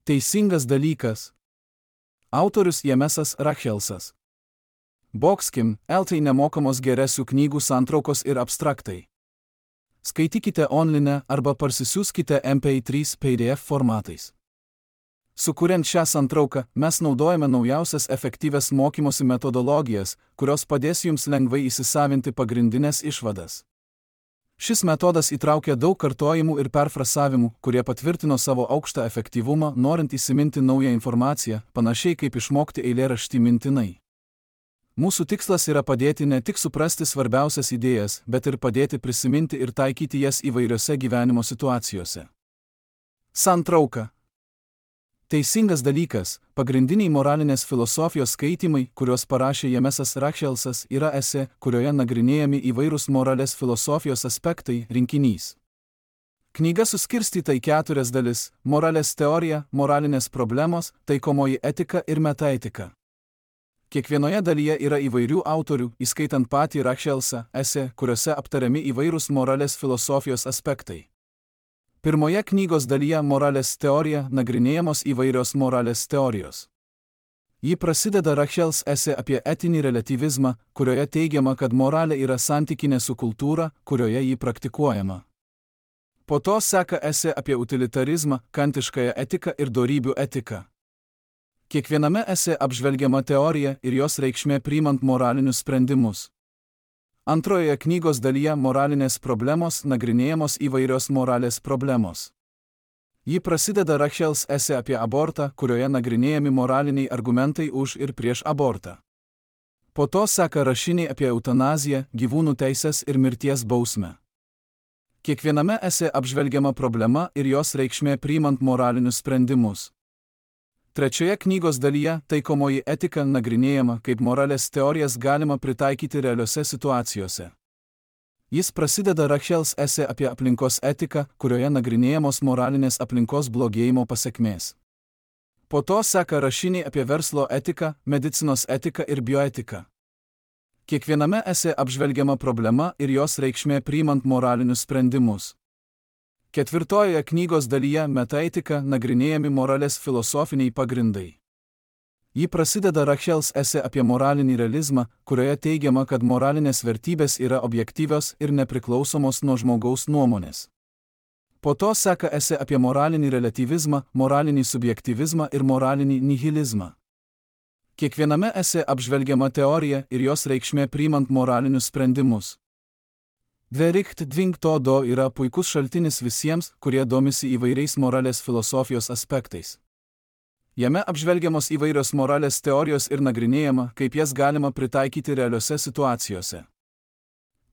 Teisingas dalykas. Autorius Jemesas Rachelsas. Boxkim, LT nemokamos geresių knygų santraukos ir abstraktai. Skaitykite online arba parsisiųskite MP3 PDF formatais. Sukuriant šią santrauką, mes naudojame naujausias efektyvias mokymosi metodologijas, kurios padės jums lengvai įsisavinti pagrindinės išvadas. Šis metodas įtraukia daug kartojimų ir perfrasavimų, kurie patvirtino savo aukštą efektyvumą, norint įsiminti naują informaciją, panašiai kaip išmokti eilėraštį mintinai. Mūsų tikslas yra padėti ne tik suprasti svarbiausias idėjas, bet ir padėti prisiminti ir taikyti jas įvairiose gyvenimo situacijose. Santrauka. Teisingas dalykas, pagrindiniai moralinės filosofijos skaitymai, kuriuos parašė Jemesas Rachelsas, yra esė, kurioje nagrinėjami įvairūs moralės filosofijos aspektai, rinkinys. Knyga suskirstyta į 4 dalis – moralės teorija, moralinės problemos, taikomoji etika ir metaetika. Kiekvienoje dalyje yra įvairių autorių, įskaitant patį Rachelsą, esė, kuriuose aptariami įvairūs moralės filosofijos aspektai. Pirmoje knygos dalyje moralės teorija nagrinėjamos įvairios moralės teorijos. Ji prasideda Rachels esė apie etinį relatyvizmą, kurioje teigiama, kad moralė yra santykinė su kultūra, kurioje ji praktikuojama. Po to seka esė apie utilitarizmą, kantiškąją etiką ir dorybių etiką. Kiekviename esė apžvelgiama teorija ir jos reikšmė priimant moralinius sprendimus. Antrojoje knygos dalyje moralinės problemos nagrinėjamos įvairios moralės problemos. Ji prasideda Rachels esė apie abortą, kurioje nagrinėjami moraliniai argumentai už ir prieš abortą. Po to seka rašiniai apie eutanaziją, gyvūnų teises ir mirties bausmę. Kiekviename esė apžvelgiama problema ir jos reikšmė priimant moralinius sprendimus. Trečioje knygos dalyje taikomoji etika nagrinėjama, kaip moralės teorijas galima pritaikyti realiose situacijose. Jis prasideda Rachels esė apie aplinkos etiką, kurioje nagrinėjamos moralinės aplinkos blogėjimo pasekmės. Po to seka rašiniai apie verslo etiką, medicinos etiką ir bioetiką. Kiekviename esė apžvelgiama problema ir jos reikšmė priimant moralinius sprendimus. Ketvirtojoje knygos dalyje metaetika nagrinėjami moralės filosofiniai pagrindai. Ji prasideda Rachels esė apie moralinį realizmą, kurioje teigiama, kad moralinės vertybės yra objektyvios ir nepriklausomos nuo žmogaus nuomonės. Po to seka esė apie moralinį relatyvizmą, moralinį subjektyvizmą ir moralinį nihilizmą. Kiekviename esė apžvelgiama teorija ir jos reikšmė priimant moralinius sprendimus. Vericht Dving to do yra puikus šaltinis visiems, kurie domisi įvairiais moralės filosofijos aspektais. Jame apžvelgiamos įvairios moralės teorijos ir nagrinėjama, kaip jas galima pritaikyti realiose situacijose.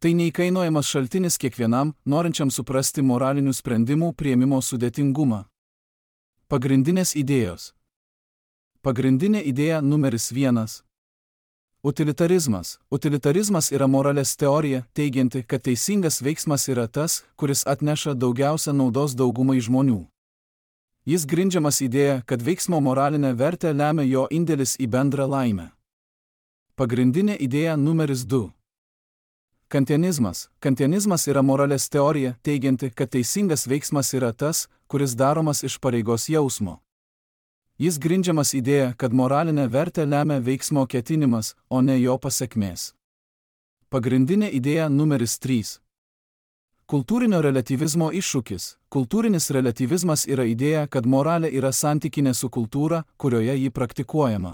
Tai neįkainojamas šaltinis kiekvienam, norinčiam suprasti moralinių sprendimų priėmimo sudėtingumą. Pagrindinės idėjos. Pagrindinė idėja numeris 1. Utilitarizmas. Utilitarizmas yra moralės teorija, teigianti, kad teisingas veiksmas yra tas, kuris atneša daugiausia naudos daugumai žmonių. Jis grindžiamas idėja, kad veiksmo moralinę vertę lemia jo indėlis į bendrą laimę. Pagrindinė idėja numeris 2. Kantianizmas. Kantianizmas yra moralės teorija, teigianti, kad teisingas veiksmas yra tas, kuris daromas iš pareigos jausmo. Jis grindžiamas idėja, kad moralinę vertę lemia veiksmo ketinimas, o ne jo pasekmės. Pagrindinė idėja numeris 3. Kultūrinio relatyvizmo iššūkis. Kultūrinis relatyvizmas yra idėja, kad moralė yra santykinė su kultūra, kurioje ji praktikuojama.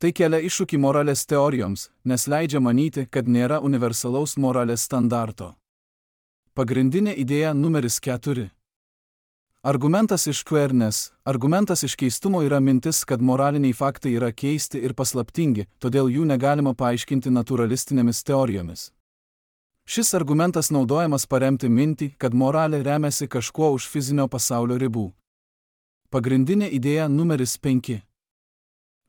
Tai kelia iššūkį moralės teorijoms, nes leidžia manyti, kad nėra universalaus moralės standarto. Pagrindinė idėja numeris 4. Argumentas iš queerness. Argumentas iš keistumo yra mintis, kad moraliniai faktai yra keisti ir paslaptingi, todėl jų negalima paaiškinti naturalistinėmis teorijomis. Šis argumentas naudojamas paremti mintį, kad moralė remiasi kažkuo už fizinio pasaulio ribų. Pagrindinė idėja numeris 5.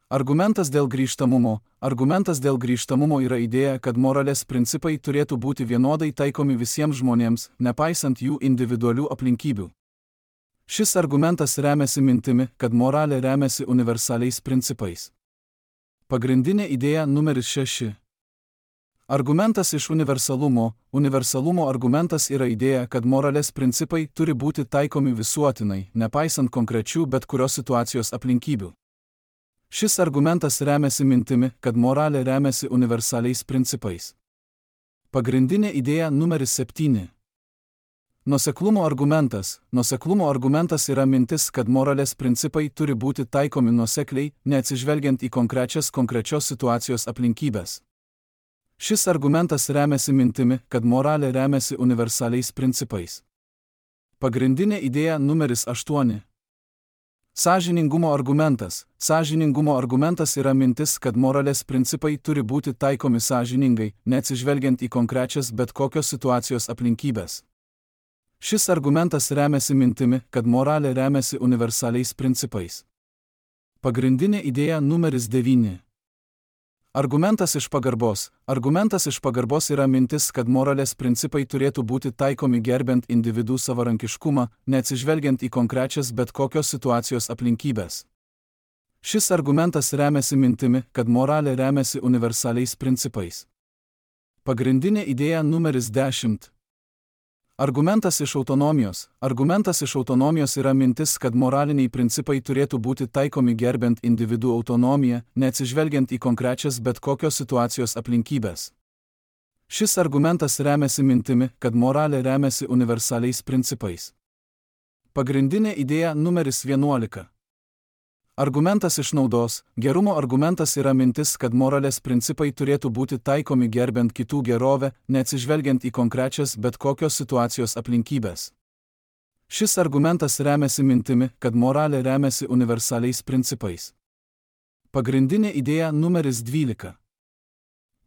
Argumentas dėl grįžtamumo. Argumentas dėl grįžtamumo yra idėja, kad moralės principai turėtų būti vienodai taikomi visiems žmonėms, nepaisant jų individualių aplinkybių. Šis argumentas remiasi mintimi, kad moralė remiasi universaliais principais. Pagrindinė idėja numeris 6. Argumentas iš universalumo. Universalumo argumentas yra idėja, kad moralės principai turi būti taikomi visuotinai, nepaisant konkrečių bet kurios situacijos aplinkybių. Šis argumentas remiasi mintimi, kad moralė remiasi universaliais principais. Pagrindinė idėja numeris 7. Nuoseklumo argumentas. Nuoseklumo argumentas yra mintis, kad moralės principai turi būti taikomi nuosekliai, neatsižvelgiant į konkrečios situacijos aplinkybės. Šis argumentas remiasi mintimi, kad moralė remiasi universaliais principais. Pagrindinė idėja numeris 8. Sąžiningumo argumentas. Sąžiningumo argumentas yra mintis, kad moralės principai turi būti taikomi sąžiningai, neatsižvelgiant į konkrečias bet kokios situacijos aplinkybės. Šis argumentas remiasi mintimi, kad moralė remiasi universaliais principais. Pagrindinė idėja numeris 9. Argumentas iš pagarbos. Argumentas iš pagarbos yra mintis, kad moralės principai turėtų būti taikomi gerbent individų savarankiškumą, neatsižvelgiant į konkrečias bet kokios situacijos aplinkybės. Šis argumentas remiasi mintimi, kad moralė remiasi universaliais principais. Pagrindinė idėja numeris 10. Argumentas iš autonomijos. Argumentas iš autonomijos yra mintis, kad moraliniai principai turėtų būti taikomi gerbent individų autonomiją, neatsižvelgiant į konkrečias bet kokios situacijos aplinkybės. Šis argumentas remiasi mintimi, kad moralė remiasi universaliais principais. Pagrindinė idėja numeris 11. Argumentas iš naudos. Gerumo argumentas yra mintis, kad moralės principai turėtų būti taikomi gerbent kitų gerovę, neatsižvelgiant į konkrečias bet kokios situacijos aplinkybės. Šis argumentas remiasi mintimi, kad moralė remiasi universaliais principais. Pagrindinė idėja numeris 12.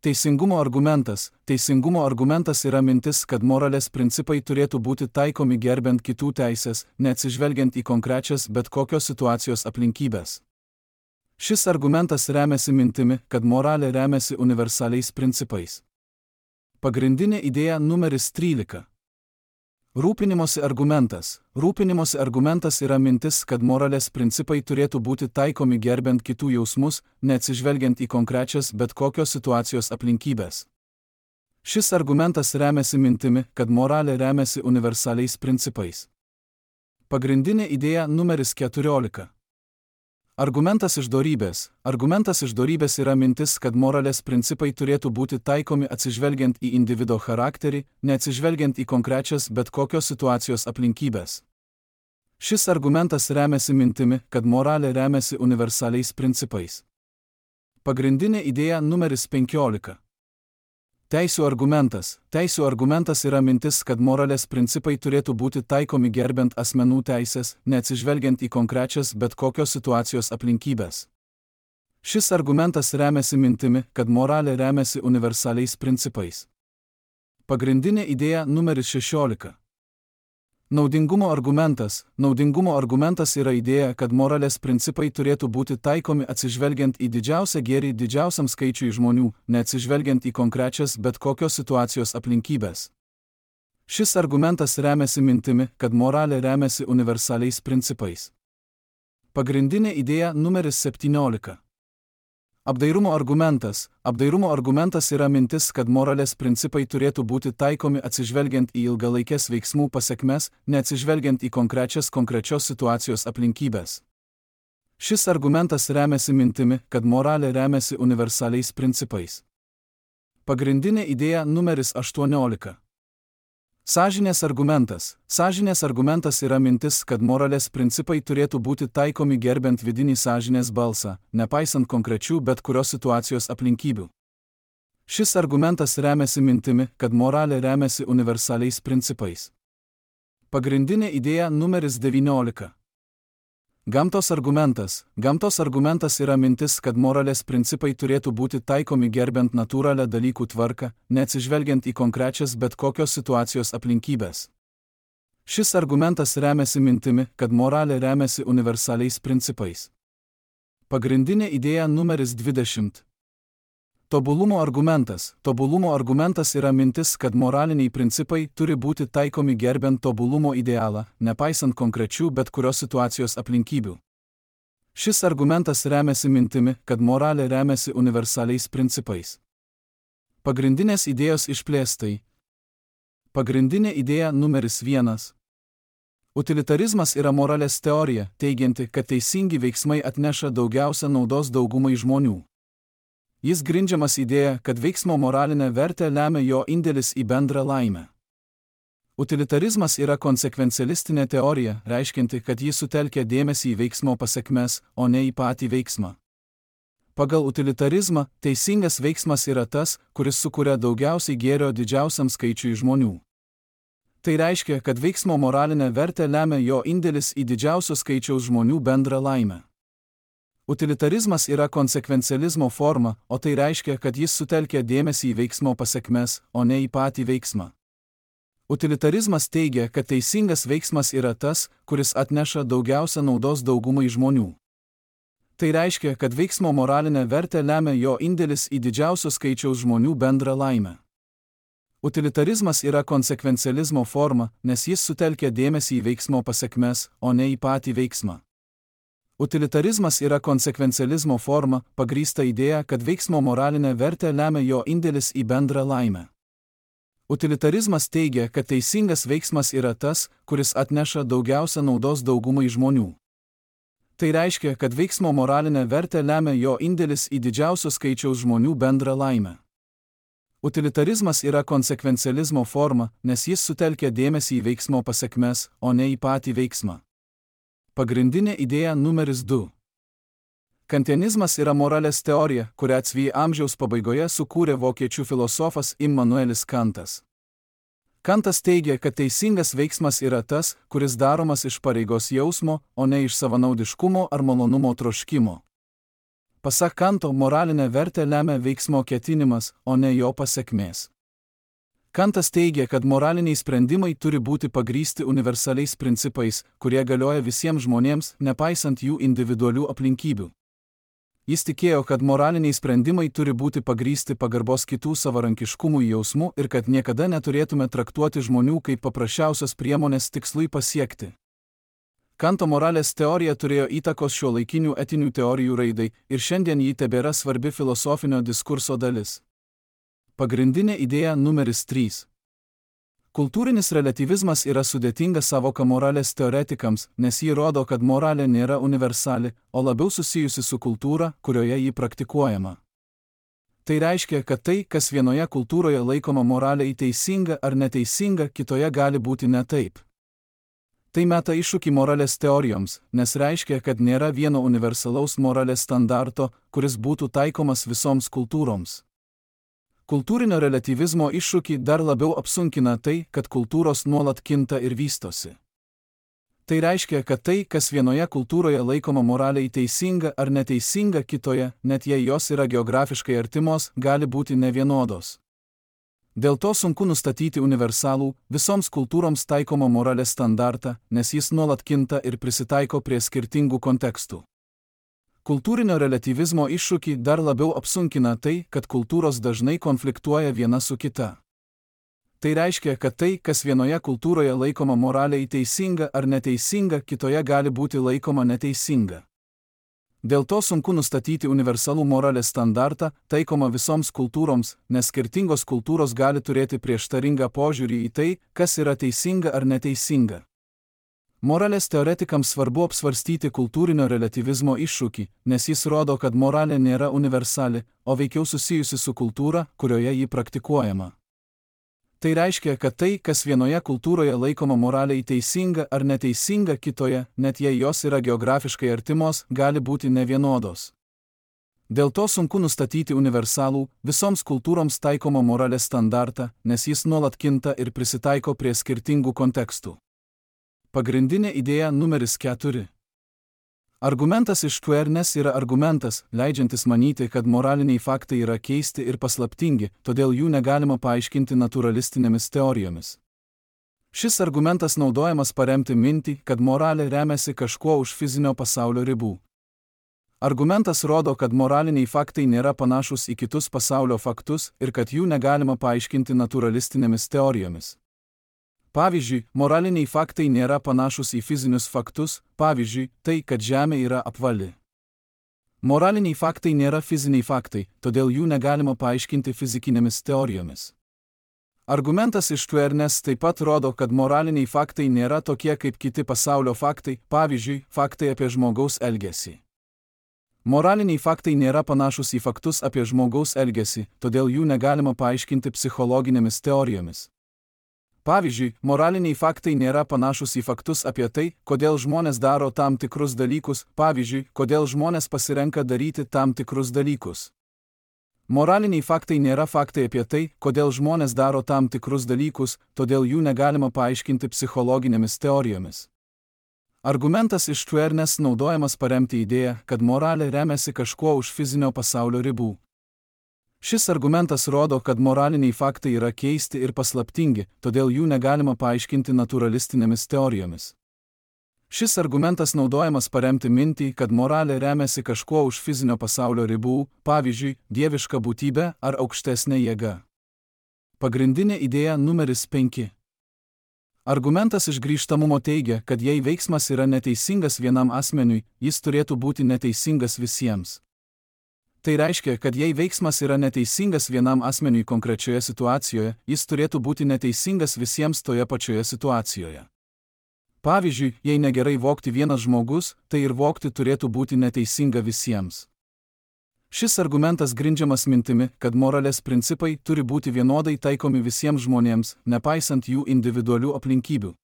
Teisingumo argumentas. Teisingumo argumentas yra mintis, kad moralės principai turėtų būti taikomi gerbent kitų teisės, neatsižvelgiant į konkrečias bet kokios situacijos aplinkybės. Šis argumentas remiasi mintimi, kad moralė remiasi universaliais principais. Pagrindinė idėja numeris 13. Rūpinimosi argumentas. Rūpinimosi argumentas yra mintis, kad moralės principai turėtų būti taikomi gerbent kitų jausmus, neatsižvelgiant į konkrečias bet kokios situacijos aplinkybės. Šis argumentas remiasi mintimi, kad moralė remiasi universaliais principais. Pagrindinė idėja numeris 14. Argumentas iš dorybės. Argumentas iš dorybės yra mintis, kad moralės principai turėtų būti taikomi atsižvelgiant į individo charakterį, neatsižvelgiant į konkrečias bet kokios situacijos aplinkybės. Šis argumentas remiasi mintimi, kad moralė remiasi universaliais principais. Pagrindinė idėja numeris 15. Teisių argumentas. Teisių argumentas yra mintis, kad moralės principai turėtų būti taikomi gerbent asmenų teisės, neatsižvelgiant į konkrečias bet kokios situacijos aplinkybės. Šis argumentas remiasi mintimi, kad moralė remiasi universaliais principais. Pagrindinė idėja numeris 16. Naudingumo argumentas. Naudingumo argumentas yra idėja, kad moralės principai turėtų būti taikomi atsižvelgiant į didžiausią gėrį didžiausiam skaičiui žmonių, neatsižvelgiant į konkrečias bet kokios situacijos aplinkybės. Šis argumentas remiasi mintimi, kad moralė remiasi universaliais principais. Pagrindinė idėja numeris 17. Apdairumo argumentas. Apdairumo argumentas yra mintis, kad moralės principai turėtų būti taikomi atsižvelgiant į ilgalaikės veiksmų pasekmes, neatsižvelgiant į konkrečios situacijos aplinkybės. Šis argumentas remiasi mintimi, kad moralė remiasi universaliais principais. Pagrindinė idėja numeris 18. Sąžinės argumentas. Sąžinės argumentas yra mintis, kad moralės principai turėtų būti taikomi gerbent vidinį sąžinės balsą, nepaisant konkrečių bet kurios situacijos aplinkybių. Šis argumentas remiasi mintimi, kad moralė remiasi universaliais principais. Pagrindinė idėja numeris 19. Gamtos argumentas. Gamtos argumentas yra mintis, kad moralės principai turėtų būti taikomi gerbent natūralią dalykų tvarką, neatsižvelgiant į konkrečias bet kokios situacijos aplinkybės. Šis argumentas remiasi mintimi, kad moralė remiasi universaliais principais. Pagrindinė idėja numeris 20. Tobulumo argumentas. Tobulumo argumentas yra mintis, kad moraliniai principai turi būti taikomi gerbent tobulumo idealą, nepaisant konkrečių bet kurios situacijos aplinkybių. Šis argumentas remiasi mintimi, kad moralė remiasi universaliais principais. Pagrindinės idėjos išplėstai. Pagrindinė idėja numeris 1. Utilitarizmas yra moralės teorija, teigianti, kad teisingi veiksmai atneša daugiausia naudos daugumai žmonių. Jis grindžiamas idėja, kad veiksmo moralinę vertę lemia jo indėlis į bendrą laimę. Utilitarizmas yra konsekvencialistinė teorija, reiškianti, kad jis sutelkia dėmesį į veiksmo pasekmes, o ne į patį veiksmą. Pagal utilitarizmą, teisingas veiksmas yra tas, kuris sukuria daugiausiai gėrio didžiausiam skaičiui žmonių. Tai reiškia, kad veiksmo moralinę vertę lemia jo indėlis į didžiausio skaičiaus žmonių bendrą laimę. Utilitarizmas yra konsekvencializmo forma, o tai reiškia, kad jis sutelkia dėmesį į veiksmo pasekmes, o ne į patį veiksmą. Utilitarizmas teigia, kad teisingas veiksmas yra tas, kuris atneša daugiausia naudos daugumai žmonių. Tai reiškia, kad veiksmo moralinę vertę lemia jo indėlis į didžiausio skaičiaus žmonių bendrą laimę. Utilitarizmas yra konsekvencializmo forma, nes jis sutelkia dėmesį į veiksmo pasekmes, o ne į patį veiksmą. Utilitarizmas yra konsekvencializmo forma, pagrįsta idėja, kad veiksmo moralinę vertę lemia jo indėlis į bendrą laimę. Utilitarizmas teigia, kad teisingas veiksmas yra tas, kuris atneša daugiausia naudos daugumai žmonių. Tai reiškia, kad veiksmo moralinę vertę lemia jo indėlis į didžiausio skaičiaus žmonių bendrą laimę. Utilitarizmas yra konsekvencializmo forma, nes jis sutelkia dėmesį į veiksmo pasekmes, o ne į patį veiksmą. Pagrindinė idėja numeris 2. Kantianizmas yra moralės teorija, kurią XV amžiaus pabaigoje sukūrė vokiečių filosofas Immanuelis Kantas. Kantas teigia, kad teisingas veiksmas yra tas, kuris daromas iš pareigos jausmo, o ne iš savanaudiškumo ar malonumo troškimo. Pasak Kanto, moralinę vertę lemia veiksmo ketinimas, o ne jo pasekmės. Kantas teigia, kad moraliniai sprendimai turi būti pagrįsti universaliais principais, kurie galioja visiems žmonėms, nepaisant jų individualių aplinkybių. Jis tikėjo, kad moraliniai sprendimai turi būti pagrįsti pagarbos kitų savarankiškumui jausmu ir kad niekada neturėtume traktuoti žmonių kaip paprasčiausios priemonės tikslui pasiekti. Kanto moralės teorija turėjo įtakos šiuolaikinių etinių teorijų raidai ir šiandien ji tebėra svarbi filosofinio diskurso dalis. Pagrindinė idėja numeris 3. Kultūrinis reliatyvizmas yra sudėtinga savoka moralės teoretikams, nes ji rodo, kad moralė nėra universali, o labiau susijusi su kultūra, kurioje ji praktikuojama. Tai reiškia, kad tai, kas vienoje kultūroje laikoma moraliai teisinga ar neteisinga, kitoje gali būti ne taip. Tai meta iššūkį moralės teorijoms, nes reiškia, kad nėra vieno universalaus moralės standarto, kuris būtų taikomas visoms kultūroms. Kultūrinio reliatyvizmo iššūkį dar labiau apsunkina tai, kad kultūros nuolat kinta ir vystosi. Tai reiškia, kad tai, kas vienoje kultūroje laikoma moraliai teisinga ar neteisinga kitoje, net jei jos yra geografiškai artimos, gali būti nevienodos. Dėl to sunku nustatyti universalų, visoms kultūroms taikomą moralės standartą, nes jis nuolat kinta ir prisitaiko prie skirtingų kontekstų. Kultūrinio reliatyvizmo iššūkį dar labiau apsunkina tai, kad kultūros dažnai konfliktuoja viena su kita. Tai reiškia, kad tai, kas vienoje kultūroje laikoma moraliai teisinga ar neteisinga, kitoje gali būti laikoma neteisinga. Dėl to sunku nustatyti universalų moralės standartą, taikomą visoms kultūroms, nes skirtingos kultūros gali turėti prieštaringą požiūrį į tai, kas yra teisinga ar neteisinga. Moralės teoretikams svarbu apsvarstyti kultūrinio reliatyvizmo iššūkį, nes jis rodo, kad moralė nėra universali, o veikiau susijusi su kultūra, kurioje ji praktikuojama. Tai reiškia, kad tai, kas vienoje kultūroje laikoma moraliai teisinga ar neteisinga kitoje, net jei jos yra geografiškai artimos, gali būti nevienodos. Dėl to sunku nustatyti universalų, visoms kultūroms taikomą moralės standartą, nes jis nuolat kinta ir prisitaiko prie skirtingų kontekstų. Pagrindinė idėja numeris 4. Argumentas iš Querness yra argumentas, leidžiantis manyti, kad moraliniai faktai yra keisti ir paslaptingi, todėl jų negalima paaiškinti naturalistinėmis teorijomis. Šis argumentas naudojamas paremti mintį, kad moralė remiasi kažkuo už fizinio pasaulio ribų. Argumentas rodo, kad moraliniai faktai nėra panašus į kitus pasaulio faktus ir kad jų negalima paaiškinti naturalistinėmis teorijomis. Pavyzdžiui, moraliniai faktai nėra panašus į fizinius faktus, pavyzdžiui, tai, kad Žemė yra apvali. Moraliniai faktai nėra fiziniai faktai, todėl jų negalima paaiškinti fizikinėmis teorijomis. Argumentas iš Tuernes taip pat rodo, kad moraliniai faktai nėra tokie kaip kiti pasaulio faktai, pavyzdžiui, faktai apie žmogaus elgesį. Moraliniai faktai nėra panašus į faktus apie žmogaus elgesį, todėl jų negalima paaiškinti psichologinėmis teorijomis. Pavyzdžiui, moraliniai faktai nėra panašus į faktus apie tai, kodėl žmonės daro tam tikrus dalykus, pavyzdžiui, kodėl žmonės pasirenka daryti tam tikrus dalykus. Moraliniai faktai nėra faktai apie tai, kodėl žmonės daro tam tikrus dalykus, todėl jų negalima paaiškinti psichologinėmis teorijomis. Argumentas iš Tuernes naudojamas paremti idėją, kad moralė remiasi kažkuo už fizinio pasaulio ribų. Šis argumentas rodo, kad moraliniai faktai yra keisti ir paslaptingi, todėl jų negalima paaiškinti naturalistinėmis teorijomis. Šis argumentas naudojamas paremti mintį, kad moralė remiasi kažkuo už fizinio pasaulio ribų, pavyzdžiui, dieviška būtybė ar aukštesnė jėga. Pagrindinė idėja numeris 5. Argumentas iš grįžtamumo teigia, kad jei veiksmas yra neteisingas vienam asmeniui, jis turėtų būti neteisingas visiems. Tai reiškia, kad jei veiksmas yra neteisingas vienam asmeniui konkrečioje situacijoje, jis turėtų būti neteisingas visiems toje pačioje situacijoje. Pavyzdžiui, jei negerai vogti vienas žmogus, tai ir vogti turėtų būti neteisinga visiems. Šis argumentas grindžiamas mintimi, kad moralės principai turi būti vienodai taikomi visiems žmonėms, nepaisant jų individualių aplinkybių.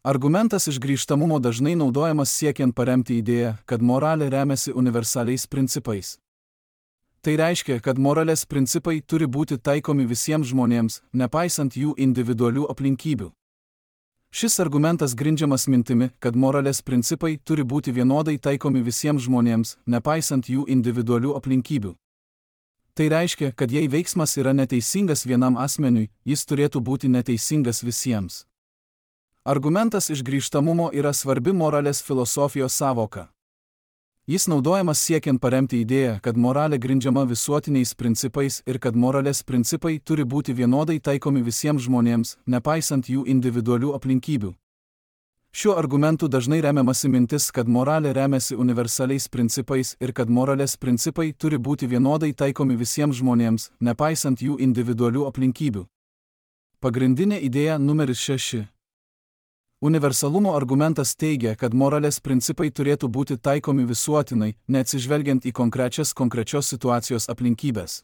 Argumentas iš grįžtamumo dažnai naudojamas siekiant paremti idėją, kad moralė remiasi universaliais principais. Tai reiškia, kad moralės principai turi būti taikomi visiems žmonėms, nepaisant jų individualių aplinkybių. Šis argumentas grindžiamas mintimi, kad moralės principai turi būti vienodai taikomi visiems žmonėms, nepaisant jų individualių aplinkybių. Tai reiškia, kad jei veiksmas yra neteisingas vienam asmeniui, jis turėtų būti neteisingas visiems. Argumentas iš grįžtamumo yra svarbi moralės filosofijos sąvoka. Jis naudojamas siekiant paremti idėją, kad moralė grindžiama visuotiniais principais ir kad moralės principai turi būti vienodai taikomi visiems žmonėms, nepaisant jų individualių aplinkybių. Šiuo argumentu dažnai remiamasi mintis, kad moralė remiasi universaliais principais ir kad moralės principai turi būti vienodai taikomi visiems žmonėms, nepaisant jų individualių aplinkybių. Pagrindinė idėja numeris 6. Universalumo argumentas teigia, kad moralės principai turėtų būti taikomi visuotinai, neatsižvelgiant į konkrečios situacijos aplinkybės.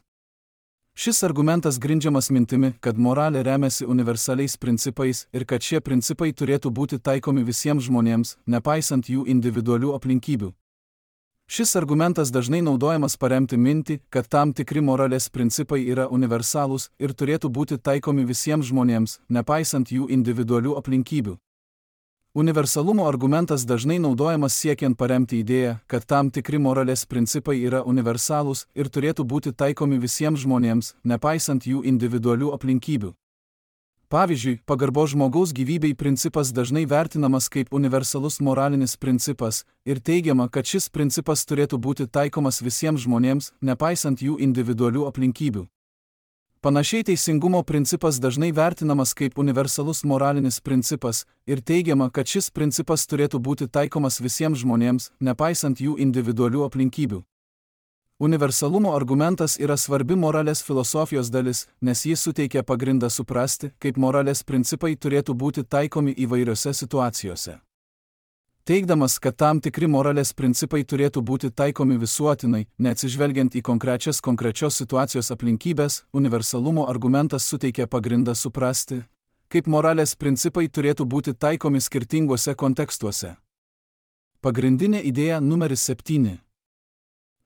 Šis argumentas grindžiamas mintimi, kad moralė remiasi universaliais principais ir kad šie principai turėtų būti taikomi visiems žmonėms, nepaisant jų individualių aplinkybių. Šis argumentas dažnai naudojamas paremti mintį, kad tam tikri moralės principai yra universalūs ir turėtų būti taikomi visiems žmonėms, nepaisant jų individualių aplinkybių. Universalumo argumentas dažnai naudojamas siekiant paremti idėją, kad tam tikri moralės principai yra universalūs ir turėtų būti taikomi visiems žmonėms, nepaisant jų individualių aplinkybių. Pavyzdžiui, pagarbos žmogaus gyvybei principas dažnai vertinamas kaip universalus moralinis principas ir teigiama, kad šis principas turėtų būti taikomas visiems žmonėms, nepaisant jų individualių aplinkybių. Panašiai teisingumo principas dažnai vertinamas kaip universalus moralinis principas ir teigiama, kad šis principas turėtų būti taikomas visiems žmonėms, nepaisant jų individualių aplinkybių. Universalumo argumentas yra svarbi moralės filosofijos dalis, nes jis suteikia pagrindą suprasti, kaip moralės principai turėtų būti taikomi įvairiose situacijose. Teigdamas, kad tam tikri moralės principai turėtų būti taikomi visuotinai, neatsižvelgiant į konkrečios situacijos aplinkybės, universalumo argumentas suteikia pagrindą suprasti, kaip moralės principai turėtų būti taikomi skirtinguose kontekstuose. Pagrindinė idėja numeris 7.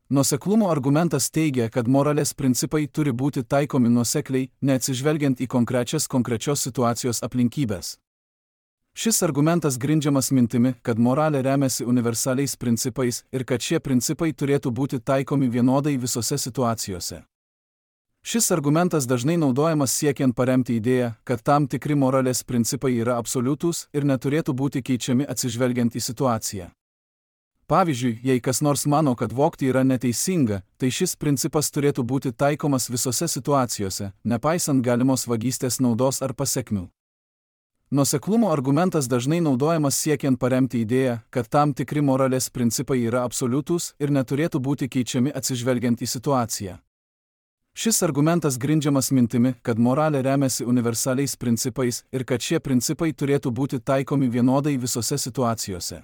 Nuoseklumo argumentas teigia, kad moralės principai turi būti taikomi nuosekliai, neatsižvelgiant į konkrečios situacijos aplinkybės. Šis argumentas grindžiamas mintimi, kad moralė remiasi universaliais principais ir kad šie principai turėtų būti taikomi vienodai visose situacijose. Šis argumentas dažnai naudojamas siekiant paremti idėją, kad tam tikri moralės principai yra absoliutūs ir neturėtų būti keičiami atsižvelgiant į situaciją. Pavyzdžiui, jei kas nors mano, kad vogti yra neteisinga, tai šis principas turėtų būti taikomas visose situacijose, nepaisant galimos vagystės naudos ar pasekmių. Nuoseklumo argumentas dažnai naudojamas siekiant paremti idėją, kad tam tikri moralės principai yra absoliutūs ir neturėtų būti keičiami atsižvelgiant į situaciją. Šis argumentas grindžiamas mintimi, kad moralė remiasi universaliais principais ir kad šie principai turėtų būti taikomi vienodai visose situacijose.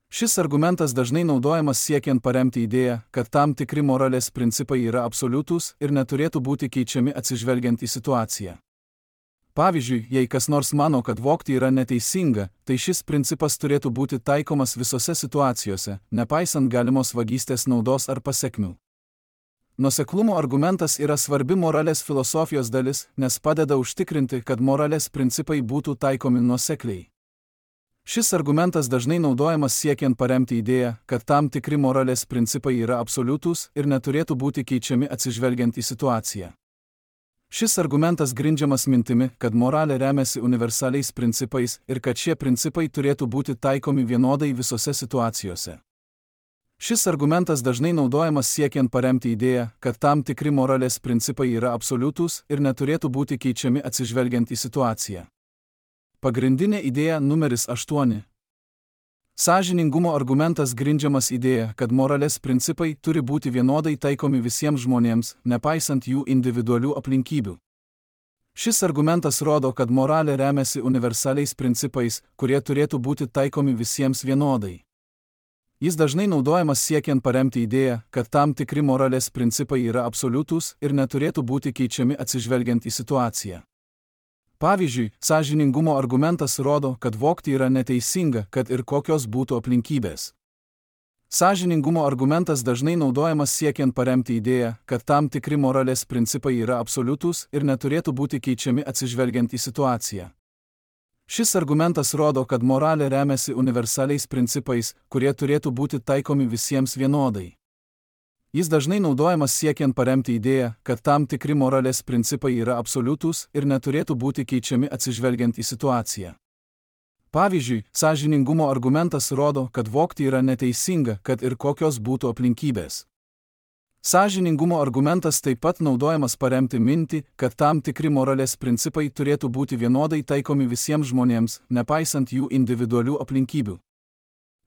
Šis argumentas dažnai naudojamas siekiant paremti idėją, kad tam tikri moralės principai yra absoliutūs ir neturėtų būti keičiami atsižvelgiant į situaciją. Pavyzdžiui, jei kas nors mano, kad vogti yra neteisinga, tai šis principas turėtų būti taikomas visose situacijose, nepaisant galimos vagystės naudos ar pasekmių. Nuoseklumo argumentas yra svarbi moralės filosofijos dalis, nes padeda užtikrinti, kad moralės principai būtų taikomi nuosekliai. Šis argumentas dažnai naudojamas siekiant paremti idėją, kad tam tikri moralės principai yra absoliutūs ir neturėtų būti keičiami atsižvelgiant į situaciją. Šis argumentas grindžiamas mintimi, kad moralė remiasi universaliais principais ir kad šie principai turėtų būti taikomi vienodai visose situacijose. Šis argumentas dažnai naudojamas siekiant paremti idėją, kad tam tikri moralės principai yra absoliutūs ir neturėtų būti keičiami atsižvelgiant į situaciją. Pagrindinė idėja numeris 8. Sąžiningumo argumentas grindžiamas idėja, kad moralės principai turi būti vienodai taikomi visiems žmonėms, nepaisant jų individualių aplinkybių. Šis argumentas rodo, kad moralė remiasi universaliais principais, kurie turėtų būti taikomi visiems vienodai. Jis dažnai naudojamas siekiant paremti idėją, kad tam tikri moralės principai yra absoliutūs ir neturėtų būti keičiami atsižvelgiant į situaciją. Pavyzdžiui, sąžiningumo argumentas rodo, kad vogti yra neteisinga, kad ir kokios būtų aplinkybės. Sąžiningumo argumentas dažnai naudojamas siekiant paremti idėją, kad tam tikri moralės principai yra absoliutūs ir neturėtų būti keičiami atsižvelgiant į situaciją. Šis argumentas rodo, kad moralė remiasi universaliais principais, kurie turėtų būti taikomi visiems vienodai. Jis dažnai naudojamas siekiant paremti idėją, kad tam tikri moralės principai yra absoliutūs ir neturėtų būti keičiami atsižvelgiant į situaciją. Pavyzdžiui, sąžiningumo argumentas rodo, kad vogti yra neteisinga, kad ir kokios būtų aplinkybės. Sąžiningumo argumentas taip pat naudojamas paremti mintį, kad tam tikri moralės principai turėtų būti vienodai taikomi visiems žmonėms, nepaisant jų individualių aplinkybių.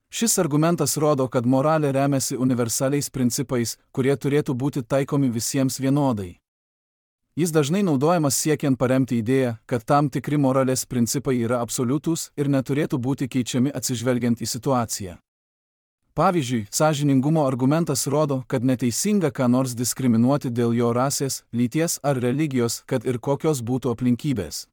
Šis argumentas rodo, kad moralė remiasi universaliais principais, kurie turėtų būti taikomi visiems vienodai. Jis dažnai naudojamas siekiant paremti idėją, kad tam tikri moralės principai yra absoliutūs ir neturėtų būti keičiami atsižvelgiant į situaciją. Pavyzdžiui, sąžiningumo argumentas rodo, kad neteisinga ką nors diskriminuoti dėl jo rasės, lyties ar religijos, kad ir kokios būtų aplinkybės.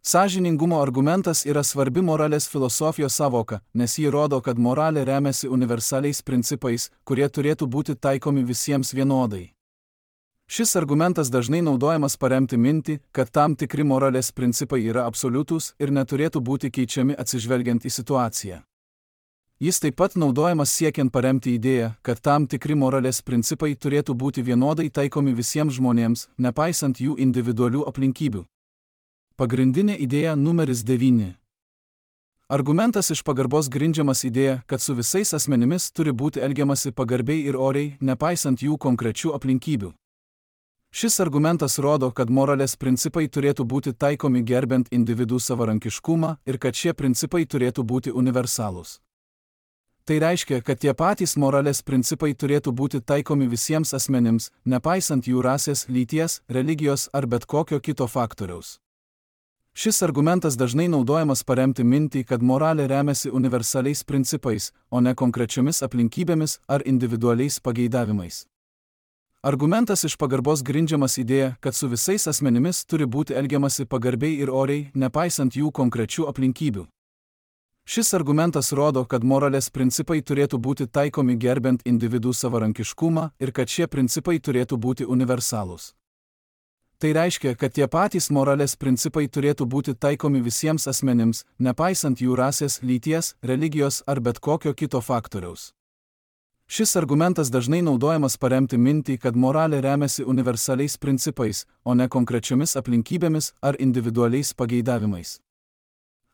Sąžiningumo argumentas yra svarbi moralės filosofijos savoka, nes ji rodo, kad moralė remiasi universaliais principais, kurie turėtų būti taikomi visiems vienodai. Šis argumentas dažnai naudojamas paremti mintį, kad tam tikri moralės principai yra absoliutūs ir neturėtų būti keičiami atsižvelgiant į situaciją. Jis taip pat naudojamas siekiant paremti idėją, kad tam tikri moralės principai turėtų būti vienodai taikomi visiems žmonėms, nepaisant jų individualių aplinkybių. Pagrindinė idėja numeris 9. Argumentas iš pagarbos grindžiamas idėja, kad su visais asmenimis turi būti elgiamasi pagarbiai ir oriai, nepaisant jų konkrečių aplinkybių. Šis argumentas rodo, kad moralės principai turėtų būti taikomi gerbent individų savarankiškumą ir kad šie principai turėtų būti universalūs. Tai reiškia, kad tie patys moralės principai turėtų būti taikomi visiems asmenims, nepaisant jų rasės, lyties, religijos ar bet kokio kito faktoriaus. Šis argumentas dažnai naudojamas paremti mintį, kad moralė remiasi universaliais principais, o ne konkrečiomis aplinkybėmis ar individualiais pageidavimais. Argumentas iš pagarbos grindžiamas idėja, kad su visais asmenimis turi būti elgiamasi pagarbiai ir oriai, nepaisant jų konkrečių aplinkybių. Šis argumentas rodo, kad moralės principai turėtų būti taikomi gerbent individų savarankiškumą ir kad šie principai turėtų būti universalūs. Tai reiškia, kad tie patys moralės principai turėtų būti taikomi visiems asmenims, nepaisant jų rasės, lyties, religijos ar bet kokio kito faktoriaus. Šis argumentas dažnai naudojamas paremti mintį, kad moralė remiasi universaliais principais, o ne konkrečiomis aplinkybėmis ar individualiais pageidavimais.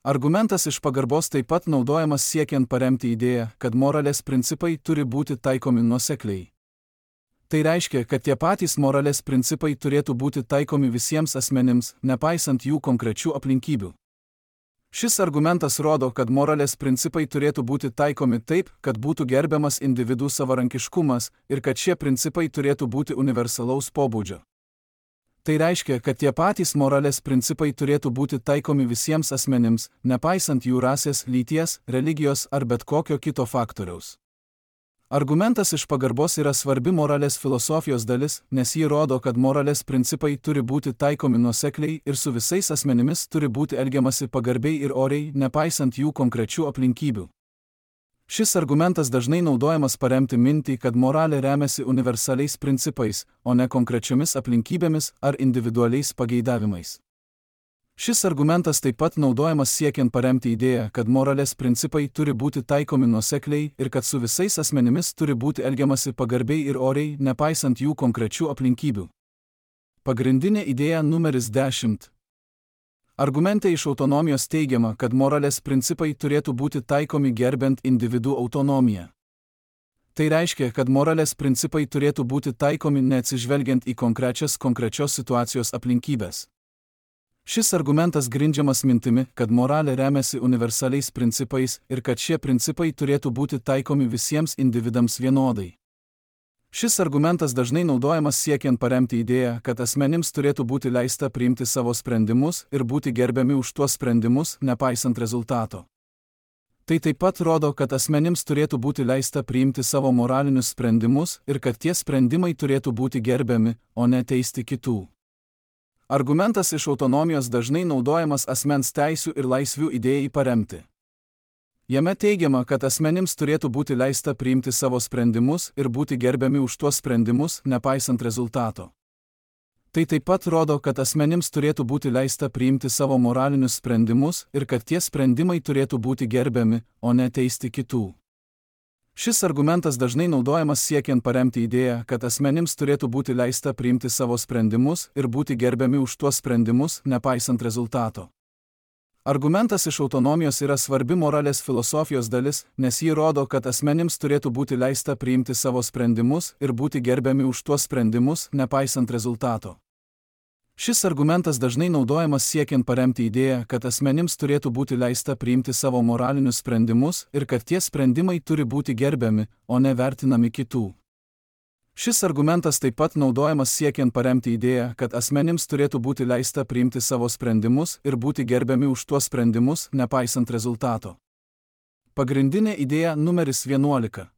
Argumentas iš pagarbos taip pat naudojamas siekiant paremti idėją, kad moralės principai turi būti taikomi nuosekliai. Tai reiškia, kad tie patys moralės principai turėtų būti taikomi visiems asmenims, nepaisant jų konkrečių aplinkybių. Šis argumentas rodo, kad moralės principai turėtų būti taikomi taip, kad būtų gerbiamas individų savarankiškumas ir kad šie principai turėtų būti universalaus pobūdžio. Tai reiškia, kad tie patys moralės principai turėtų būti taikomi visiems asmenims, nepaisant jų rasės, lyties, religijos ar bet kokio kito faktoriaus. Argumentas iš pagarbos yra svarbi moralės filosofijos dalis, nes ji rodo, kad moralės principai turi būti taikomi nuosekliai ir su visais asmenimis turi būti elgiamasi pagarbiai ir oriai, nepaisant jų konkrečių aplinkybių. Šis argumentas dažnai naudojamas paremti mintį, kad moralė remiasi universaliais principais, o ne konkrečiomis aplinkybėmis ar individualiais pageidavimais. Šis argumentas taip pat naudojamas siekiant paremti idėją, kad moralės principai turi būti taikomi nuosekliai ir kad su visais asmenimis turi būti elgiamasi pagarbiai ir oriai, nepaisant jų konkrečių aplinkybių. Pagrindinė idėja numeris 10. Argumente iš autonomijos teigiama, kad moralės principai turėtų būti taikomi gerbent individų autonomiją. Tai reiškia, kad moralės principai turėtų būti taikomi neatsižvelgiant į konkrečios situacijos aplinkybės. Šis argumentas grindžiamas mintimi, kad moralė remiasi universaliais principais ir kad šie principai turėtų būti taikomi visiems individams vienodai. Šis argumentas dažnai naudojamas siekiant paremti idėją, kad asmenims turėtų būti leista priimti savo sprendimus ir būti gerbiami už tuos sprendimus, nepaisant rezultato. Tai taip pat rodo, kad asmenims turėtų būti leista priimti savo moralinius sprendimus ir kad tie sprendimai turėtų būti gerbiami, o ne teisti kitų. Argumentas iš autonomijos dažnai naudojamas asmens teisių ir laisvių idėjai paremti. Jame teigiama, kad asmenims turėtų būti leista priimti savo sprendimus ir būti gerbiami už tuos sprendimus, nepaisant rezultato. Tai taip pat rodo, kad asmenims turėtų būti leista priimti savo moralinius sprendimus ir kad tie sprendimai turėtų būti gerbiami, o ne teisti kitų. Šis argumentas dažnai naudojamas siekiant paremti idėją, kad asmenims turėtų būti leista priimti savo sprendimus ir būti gerbiami už tuos sprendimus, nepaisant rezultato. Argumentas iš autonomijos yra svarbi moralės filosofijos dalis, nes ji rodo, kad asmenims turėtų būti leista priimti savo sprendimus ir būti gerbiami už tuos sprendimus, nepaisant rezultato. Šis argumentas dažnai naudojamas siekiant paremti idėją, kad asmenims turėtų būti leista priimti savo moralinius sprendimus ir kad tie sprendimai turi būti gerbiami, o ne vertinami kitų. Šis argumentas taip pat naudojamas siekiant paremti idėją, kad asmenims turėtų būti leista priimti savo sprendimus ir būti gerbiami už tuos sprendimus, nepaisant rezultato. Pagrindinė idėja numeris 11.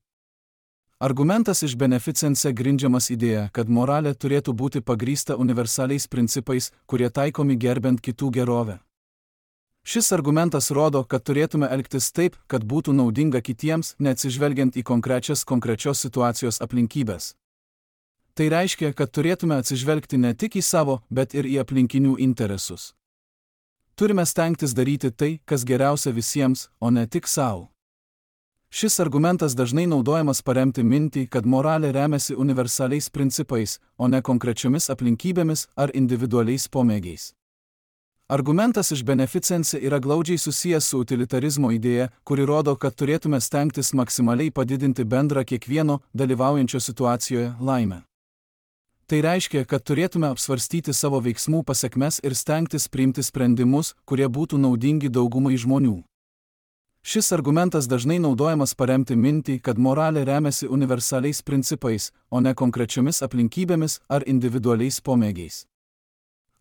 Argumentas iš beneficence grindžiamas idėja, kad moralė turėtų būti pagrįsta universaliais principais, kurie taikomi gerbent kitų gerovę. Šis argumentas rodo, kad turėtume elgtis taip, kad būtų naudinga kitiems, neatsižvelgiant į konkrečios situacijos aplinkybės. Tai reiškia, kad turėtume atsižvelgti ne tik į savo, bet ir į aplinkinių interesus. Turime stengtis daryti tai, kas geriausia visiems, o ne tik savo. Šis argumentas dažnai naudojamas paremti mintį, kad moralė remiasi universaliais principais, o ne konkrečiomis aplinkybėmis ar individualiais pomėgiais. Argumentas iš beneficence yra glaudžiai susijęs su utilitarizmo idėja, kuri rodo, kad turėtume stengtis maksimaliai padidinti bendrą kiekvieno dalyvaujančio situacijoje laimę. Tai reiškia, kad turėtume apsvarstyti savo veiksmų pasekmes ir stengtis priimti sprendimus, kurie būtų naudingi daugumai žmonių. Šis argumentas dažnai naudojamas paremti mintį, kad moralė remiasi universaliais principais, o ne konkrečiomis aplinkybėmis ar individualiais pomėgiais.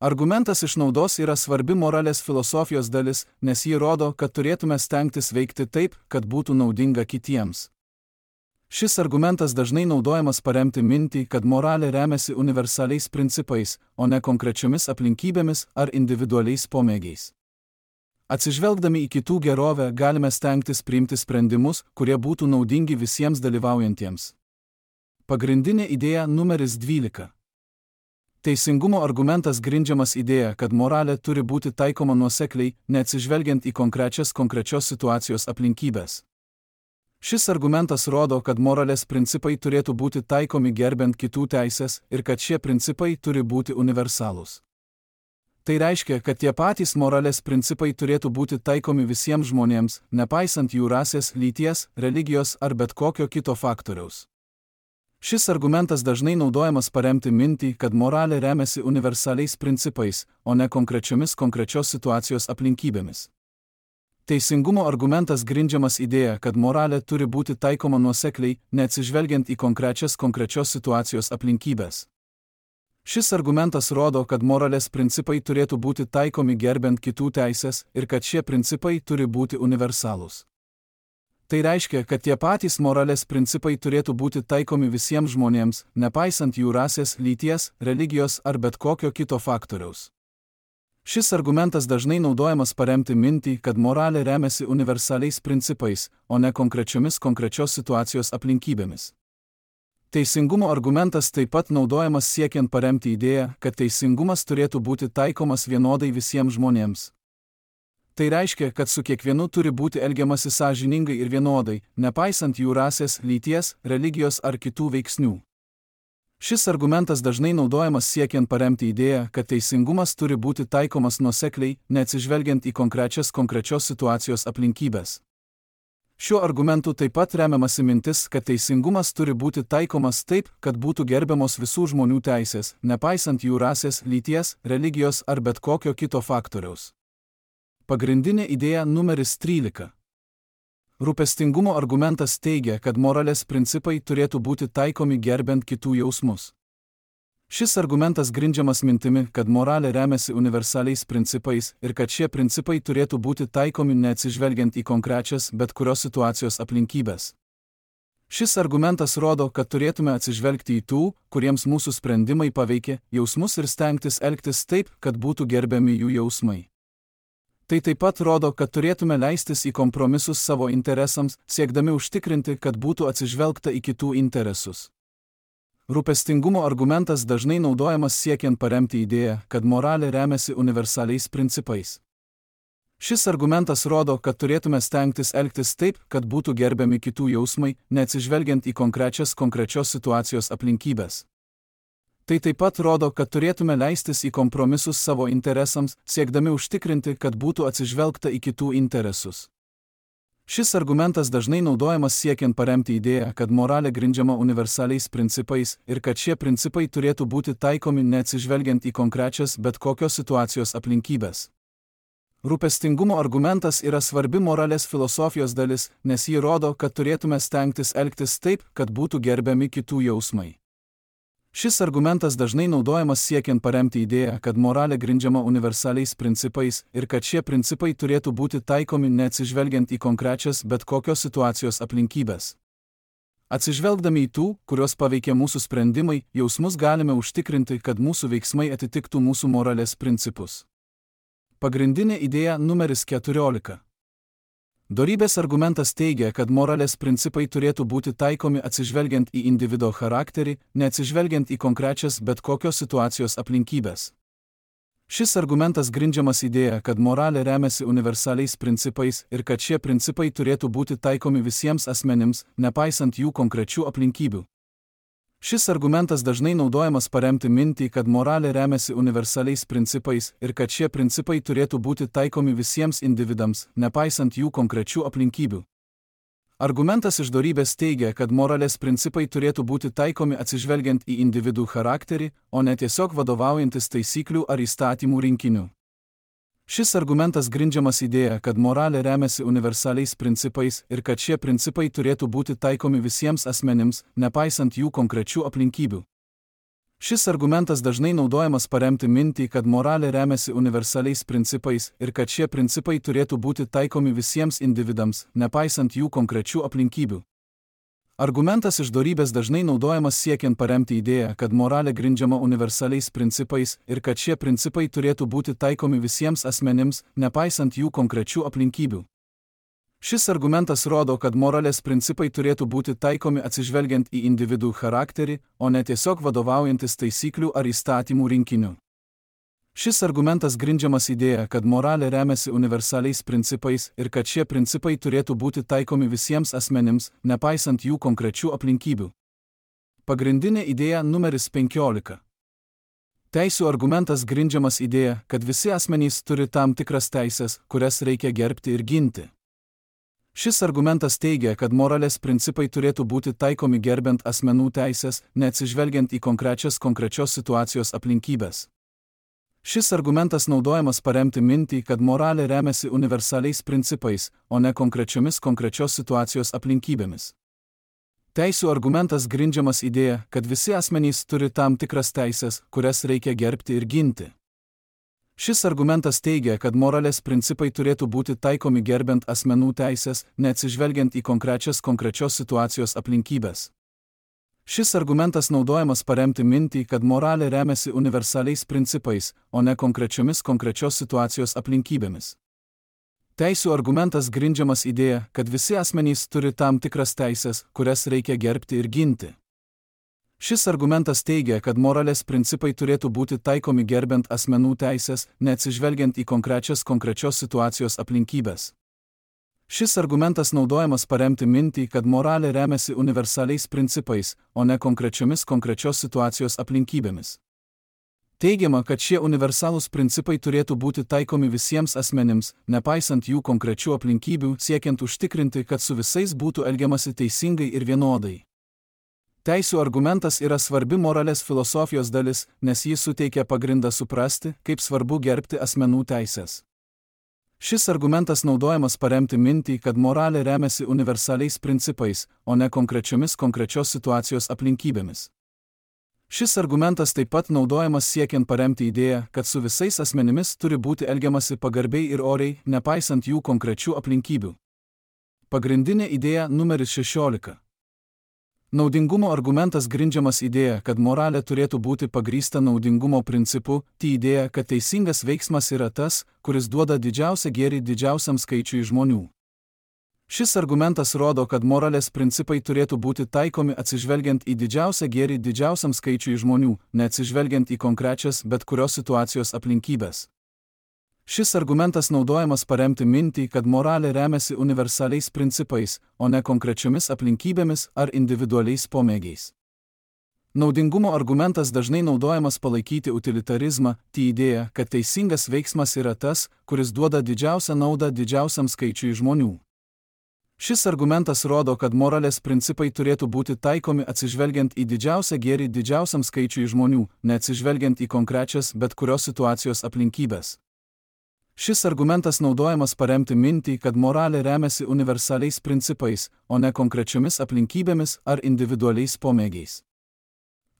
Argumentas iš naudos yra svarbi moralės filosofijos dalis, nes ji rodo, kad turėtume stengtis veikti taip, kad būtų naudinga kitiems. Šis argumentas dažnai naudojamas paremti mintį, kad moralė remiasi universaliais principais, o ne konkrečiomis aplinkybėmis ar individualiais pomėgiais. Atsižvelgdami į kitų gerovę galime stengtis priimti sprendimus, kurie būtų naudingi visiems dalyvaujantiems. Pagrindinė idėja numeris 12. Teisingumo argumentas grindžiamas idėja, kad moralė turi būti taikoma nuosekliai, neatsižvelgiant į konkrečios situacijos aplinkybės. Šis argumentas rodo, kad moralės principai turėtų būti taikomi gerbent kitų teisės ir kad šie principai turi būti universalūs. Tai reiškia, kad tie patys moralės principai turėtų būti taikomi visiems žmonėms, nepaisant jų rasės, lyties, religijos ar bet kokio kito faktoriaus. Šis argumentas dažnai naudojamas paremti mintį, kad moralė remiasi universaliais principais, o ne konkrečiomis situacijos aplinkybėmis. Teisingumo argumentas grindžiamas idėja, kad moralė turi būti taikoma nuosekliai, neatsižvelgiant į konkrečios situacijos aplinkybės. Šis argumentas rodo, kad moralės principai turėtų būti taikomi gerbent kitų teisės ir kad šie principai turi būti universalūs. Tai reiškia, kad tie patys moralės principai turėtų būti taikomi visiems žmonėms, nepaisant jų rasės, lyties, religijos ar bet kokio kito faktoriaus. Šis argumentas dažnai naudojamas paremti mintį, kad moralė remiasi universaliais principais, o ne konkrečios situacijos aplinkybėmis. Teisingumo argumentas taip pat naudojamas siekiant paremti idėją, kad teisingumas turėtų būti taikomas vienodai visiems žmonėms. Tai reiškia, kad su kiekvienu turi būti elgiamasi sąžiningai ir vienodai, nepaisant jų rasės, lyties, religijos ar kitų veiksnių. Šis argumentas dažnai naudojamas siekiant paremti idėją, kad teisingumas turi būti taikomas nuosekliai, neatsižvelgiant į konkrečios situacijos aplinkybės. Šiuo argumentu taip pat remiamasi mintis, kad teisingumas turi būti taikomas taip, kad būtų gerbiamos visų žmonių teisės, nepaisant jų rasės, lyties, religijos ar bet kokio kito faktoriaus. Pagrindinė idėja numeris 13. Rūpestingumo argumentas teigia, kad moralės principai turėtų būti taikomi gerbent kitų jausmus. Šis argumentas grindžiamas mintimi, kad moralė remiasi universaliais principais ir kad šie principai turėtų būti taikomi neatsižvelgiant į konkrečias bet kurios situacijos aplinkybės. Šis argumentas rodo, kad turėtume atsižvelgti į tų, kuriems mūsų sprendimai paveikia, jausmus ir stengtis elgtis taip, kad būtų gerbiami jų jausmai. Tai taip pat rodo, kad turėtume leistis į kompromisus savo interesams, siekdami užtikrinti, kad būtų atsižvelgta į kitų interesus. Rūpestingumo argumentas dažnai naudojamas siekiant paremti idėją, kad moralė remiasi universaliais principais. Šis argumentas rodo, kad turėtume stengtis elgtis taip, kad būtų gerbiami kitų jausmai, neatsižvelgiant į konkrečios situacijos aplinkybės. Tai taip pat rodo, kad turėtume leistis į kompromisus savo interesams, siekdami užtikrinti, kad būtų atsižvelgta į kitų interesus. Šis argumentas dažnai naudojamas siekiant paremti idėją, kad moralė grindžiama universaliais principais ir kad šie principai turėtų būti taikomi neatsižvelgiant į konkrečias bet kokios situacijos aplinkybės. Rūpestingumo argumentas yra svarbi moralės filosofijos dalis, nes ji rodo, kad turėtume stengtis elgtis taip, kad būtų gerbiami kitų jausmai. Šis argumentas dažnai naudojamas siekiant paremti idėją, kad moralė grindžiama universaliais principais ir kad šie principai turėtų būti taikomi neatsižvelgiant į konkrečias bet kokios situacijos aplinkybės. Atsižvelgdami į tų, kurios paveikia mūsų sprendimai, jausmus galime užtikrinti, kad mūsų veiksmai atitiktų mūsų moralės principus. Pagrindinė idėja numeris 14. Dorybės argumentas teigia, kad moralės principai turėtų būti taikomi atsižvelgiant į individo charakterį, neatsižvelgiant į konkrečias bet kokios situacijos aplinkybės. Šis argumentas grindžiamas idėja, kad moralė remiasi universaliais principais ir kad šie principai turėtų būti taikomi visiems asmenims, nepaisant jų konkrečių aplinkybių. Šis argumentas dažnai naudojamas paremti mintį, kad moralė remiasi universaliais principais ir kad šie principai turėtų būti taikomi visiems individams, nepaisant jų konkrečių aplinkybių. Argumentas iš dorybės teigia, kad moralės principai turėtų būti taikomi atsižvelgiant į individų charakterį, o ne tiesiog vadovaujantis taisyklių ar įstatymų rinkiniu. Šis argumentas grindžiamas idėja, kad moralė remiasi universaliais principais ir kad šie principai turėtų būti taikomi visiems asmenims, nepaisant jų konkrečių aplinkybių. Šis argumentas dažnai naudojamas paremti mintį, kad moralė remiasi universaliais principais ir kad šie principai turėtų būti taikomi visiems individams, nepaisant jų konkrečių aplinkybių. Argumentas iš dorybės dažnai naudojamas siekiant paremti idėją, kad moralė grindžiama universaliais principais ir kad šie principai turėtų būti taikomi visiems asmenims, nepaisant jų konkrečių aplinkybių. Šis argumentas rodo, kad moralės principai turėtų būti taikomi atsižvelgiant į individų charakterį, o ne tiesiog vadovaujantis taisyklių ar įstatymų rinkiniu. Šis argumentas grindžiamas idėja, kad moralė remiasi universaliais principais ir kad šie principai turėtų būti taikomi visiems asmenims, nepaisant jų konkrečių aplinkybių. Pagrindinė idėja numeris 15. Teisių argumentas grindžiamas idėja, kad visi asmenys turi tam tikras teisės, kurias reikia gerbti ir ginti. Šis argumentas teigia, kad moralės principai turėtų būti taikomi gerbent asmenų teisės, neatsižvelgiant į konkrečios situacijos aplinkybės. Šis argumentas naudojamas paremti mintį, kad moralė remiasi universaliais principais, o ne konkrečios situacijos aplinkybėmis. Teisių argumentas grindžiamas idėja, kad visi asmenys turi tam tikras teisės, kurias reikia gerbti ir ginti. Šis argumentas teigia, kad moralės principai turėtų būti taikomi gerbent asmenų teisės, neatsižvelgiant į konkrečios situacijos aplinkybės. Šis argumentas naudojamas paremti mintį, kad moralė remiasi universaliais principais, o ne konkrečios situacijos aplinkybėmis. Teisių argumentas grindžiamas idėja, kad visi asmenys turi tam tikras teisės, kurias reikia gerbti ir ginti. Šis argumentas teigia, kad moralės principai turėtų būti taikomi gerbent asmenų teisės, neatsižvelgiant į konkrečios situacijos aplinkybės. Šis argumentas naudojamas paremti mintį, kad moralė remiasi universaliais principais, o ne konkrečios situacijos aplinkybėmis. Teigiama, kad šie universalūs principai turėtų būti taikomi visiems asmenims, nepaisant jų konkrečių aplinkybių, siekiant užtikrinti, kad su visais būtų elgiamasi teisingai ir vienodai. Teisių argumentas yra svarbi moralės filosofijos dalis, nes jis suteikia pagrindą suprasti, kaip svarbu gerbti asmenų teisės. Šis argumentas naudojamas paremti mintį, kad moralė remiasi universaliais principais, o ne konkrečios situacijos aplinkybėmis. Šis argumentas taip pat naudojamas siekiant paremti idėją, kad su visais asmenimis turi būti elgiamasi pagarbiai ir oriai, nepaisant jų konkrečių aplinkybių. Pagrindinė idėja numeris 16. Naudingumo argumentas grindžiamas idėja, kad moralė turėtų būti pagrįsta naudingumo principu, tai idėja, kad teisingas veiksmas yra tas, kuris duoda didžiausią gėrį didžiausiam skaičiui žmonių. Šis argumentas rodo, kad moralės principai turėtų būti taikomi atsižvelgiant į didžiausią gėrį didžiausiam skaičiui žmonių, neatsižvelgiant į konkrečias bet kurios situacijos aplinkybės. Šis argumentas naudojamas paremti mintį, kad moralė remiasi universaliais principais, o ne konkrečiomis aplinkybėmis ar individualiais pomėgiais. Naudingumo argumentas dažnai naudojamas palaikyti utilitarizmą, tai idėja, kad teisingas veiksmas yra tas, kuris duoda didžiausią naudą didžiausiam skaičiui žmonių. Šis argumentas rodo, kad moralės principai turėtų būti taikomi atsižvelgiant į didžiausią gėrį didžiausiam skaičiui žmonių, neatsižvelgiant į konkrečias bet kurios situacijos aplinkybės. Šis argumentas naudojamas paremti mintį, kad moralė remiasi universaliais principais, o ne konkrečiomis aplinkybėmis ar individualiais pomėgiais.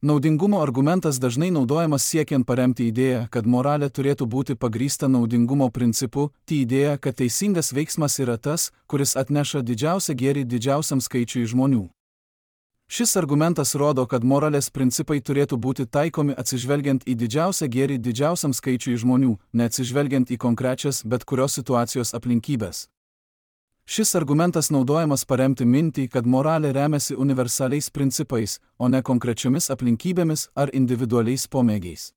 Naudingumo argumentas dažnai naudojamas siekiant paremti idėją, kad moralė turėtų būti pagrįsta naudingumo principu, tai idėja, kad teisingas veiksmas yra tas, kuris atneša didžiausią gėrį didžiausiam skaičiui žmonių. Šis argumentas rodo, kad moralės principai turėtų būti taikomi atsižvelgiant į didžiausią gėrį didžiausiam skaičiui žmonių, neatsižvelgiant į konkrečias bet kurios situacijos aplinkybės. Šis argumentas naudojamas paremti mintį, kad moralė remiasi universaliais principais, o ne konkrečiomis aplinkybėmis ar individualiais pomėgiais.